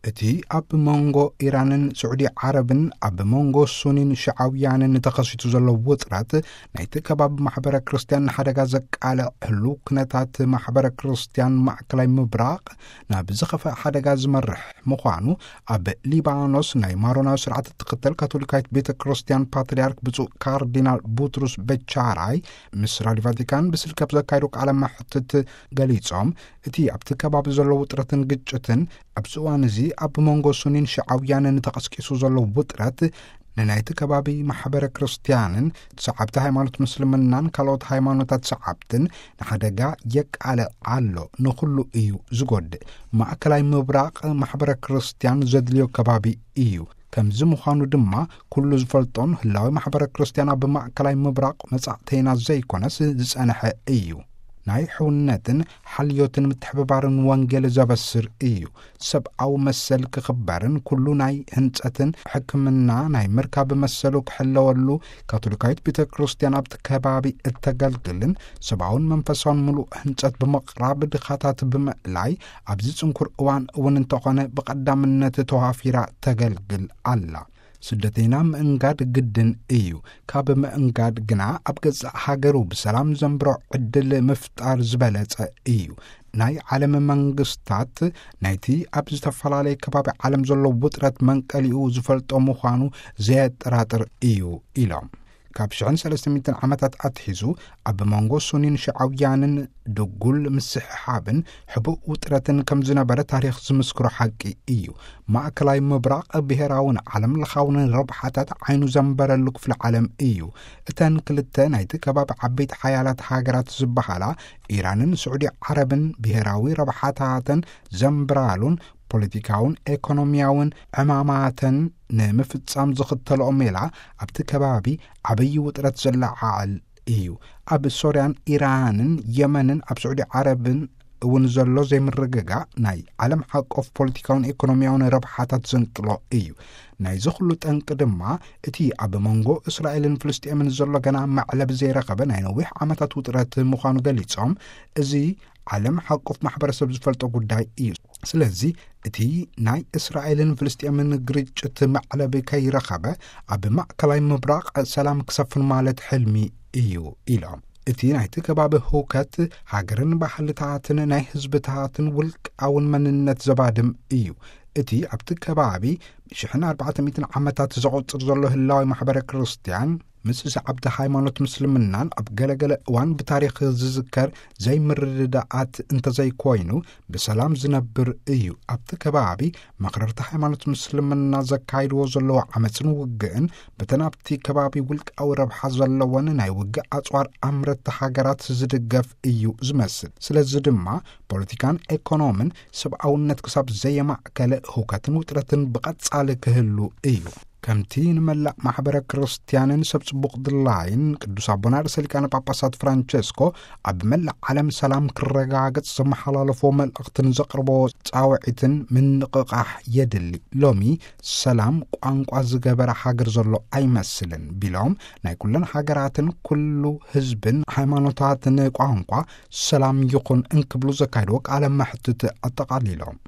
እቲ ኣብ መንጎ ኢራንን ስዑዲ ዓረብን ኣብ መንጎ ሱኒን ሽዓውያንን ተኸሲቱ ዘሎ ውጥረት፣ ናይቲ ከባቢ ማሕበረ ክርስትያን ንሓደጋ ዘቃልዕ ህሉው ኩነታት ማሕበረ ክርስትያን ማእከላይ ምብራቕ ናብ ዝኸፍአ ሓደጋ ዝመርሕ ምዃኑ፣ ኣብ ሊባኖስ ናይ ማሮናዊ ስርዓት እትኽተል ካቶሊካዊት ቤተ ክርስትያን ፓትርያርክ ብፁዕ ካርዲናል ቡትሩስ በቻራይ ምስ ራድዮ ቫቲካን ብስልኪ ኣብ ዘካየዱ ቃለ መሕትት ገሊጾም፣ እቲ ኣብቲ ከባቢ ዘሎ ውጥረትን ግጭትን ኣብዚ እዋን እዚ ኣብ መንጎ ሱኒን ሽዓውያንን ተቐስቂሱ ዘሎ ውጥረት፣ ንናይቲ ከባቢ ማሕበረ ክርስትያንን ሰዓብቲ ሃይማኖት ምስልምናን ካልኦት ሃይማኖታት ሰዓብትን ንሓደጋ የቃልዕ ኣሎ። ንኹሉ እዩ ዝጎድእ። ማእከላይ ምብራቕ ማሕበረ ክርስትያን ዘድልዮ ከባቢ እዩ። ከምዚ ምዃኑ ድማ፣ ኩሉ ዝፈልጦን ህላዊ ማሕበረ ክርስትያን ኣብ ማእከላይ ምብራቕ መጻእተይና ዘይኮነስ ዝጸንሐ እዩ። ናይ ሕውነትን ሓልዮትን ምትሕብባርን ወንጌል ዘበስር እዩ። ሰብኣዊ መሰል ክኽበርን ኩሉ ናይ ህንጸትን ሕክምና ናይ ምርካብ መሰሉ ክሕለወሉ፣ ካቶሊካዊት ቤተ ክርስትያን ኣብቲ ከባቢ እተገልግልን ሰብኣውን መንፈሳውን ምሉእ ህንጸት ብምቕራብ ድኻታት ብምእላይ ኣብዚ ጽንኩር እዋን እውን እንተኾነ ብቐዳምነት ተዋፊራ ተገልግል ኣላ። ስደተይና ምእንጋድ ግድን እዩ። ካብ ምእንጋድ ግና ኣብ ገዛእ ሃገሩ ብሰላም ዘንብሮ ዕድል ምፍጣር ዝበለጸ እዩ። ናይ ዓለም መንግስታት ናይቲ ኣብ ዝተፈላለየ ከባቢ ዓለም ዘሎ ውጥረት መንቀሊኡ ዝፈልጦ ምዃኑ ዘየጠራጥር እዩ ኢሎም። ካብ ሽሕን ሰለስተ ሚእትን ዓመታት ኣትሒዙ ኣብ መንጎ ሱኒን ሽዓውያንን ድጉል ምስሕሓብን ሕቡእ ውጥረትን ከም ዝነበረ ታሪኽ ዝምስክሮ ሓቂ እዩ። ማእከላይ ምብራቕ ብሄራውን ዓለም ለኻውን ረብሓታት ዓይኑ ዘንበረሉ ክፍለ ዓለም እዩ። እተን ክልተ ናይቲ ከባቢ ዓበይቲ ሓያላት ሃገራት ዝበሃላ ኢራንን ስዑዲ ዓረብን ብሄራዊ ረብሓታተን ዘንብራሉን ፖለቲካውን ኤኮኖሚያውን ዕማማተን ንምፍጻም ዝኽተልኦ ሜላ ኣብቲ ከባቢ ዓብዪ ውጥረት ዘለዓዕል እዩ። ኣብ ሶርያን ኢራንን የመንን ኣብ ስዑዲ ዓረብን እውን ዘሎ ዘይምርግጋእ ናይ ዓለም ሓቆፍ ፖለቲካውን ኤኮኖሚያውን ረብሓታት ዘንቅሎ እዩ። ናይዚ ኩሉ ጠንቂ ድማ እቲ ኣብ መንጎ እስራኤልን ፍልስጤምን ዘሎ ገና መዕለቢ ዘይረኸበ ናይ ነዊሕ ዓመታት ውጥረት ምዃኑ ገሊጾም፣ እዚ ዓለም ሓቆፍ ማሕበረሰብ ዝፈልጦ ጉዳይ እዩ። ስለዚ እቲ ናይ እስራኤልን ፍልስጤምን ግርጭት መዕለቢ ከይረኸበ ኣብ ማእከላይ ምብራቕ ሰላም ክሰፍን ማለት ሕልሚ እዩ ኢሎም። እቲ ናይቲ ከባቢ ህውከት ሃገርን ባህልታትን ናይ ህዝብታትን ውልቃውን መንነት ዘባድም እዩ። እቲ ኣብቲ ከባቢ ሽሕን ኣርባዕተ ሚእትን ዓመታት ዘቑጽር ዘሎ ህላዊ ማሕበረ ክርስትያን ምስ ሰዓብቲ ሃይማኖት ምስልምናን ኣብ ገለገለ እዋን ብታሪኽ ዝዝከር ዘይምርድዳኣት እንተዘይኮይኑ ብሰላም ዝነብር እዩ። ኣብቲ ከባቢ መኽረርቲ ሃይማኖት ምስልምና ዘካይድዎ ዘለዎ ዓመፅን ውግእን በተን ኣብቲ ከባቢ ውልቃዊ ረብሓ ዘለወን ናይ ውግእ ኣፅዋር ኣምረቲ ሃገራት ዝድገፍ እዩ ዝመስል። ስለዚ ድማ ፖለቲካን ኤኮኖምን ሰብኣውነት ክሳብ ዘየማእከለ ህውከትን ውጥረትን ብቐጻሊ ክህሉ እዩ። ከምቲ ንመላእ ማሕበረ ክርስትያንን ሰብ ጽቡቕ ድላይን ቅዱስ ኣቦና ርእሰ ሊቃነ ጳጳሳት ፍራንቸስኮ ኣብ መላእ ዓለም ሰላም ክረጋገጽ ዘመሓላለፎ መልእኽትን ዘቕርቦ ጻውዒትን ምንቕቓሕ የድሊ። ሎሚ ሰላም ቋንቋ ዝገበረ ሃገር ዘሎ ኣይመስልን ቢሎም፣ ናይ ኩለን ሃገራትን ኩሉ ህዝብን ሃይማኖታትን ቋንቋ ሰላም ይኹን እንክብሉ ዘካየድዎ ቃለ መሕትት ኣጠቓሊሎም።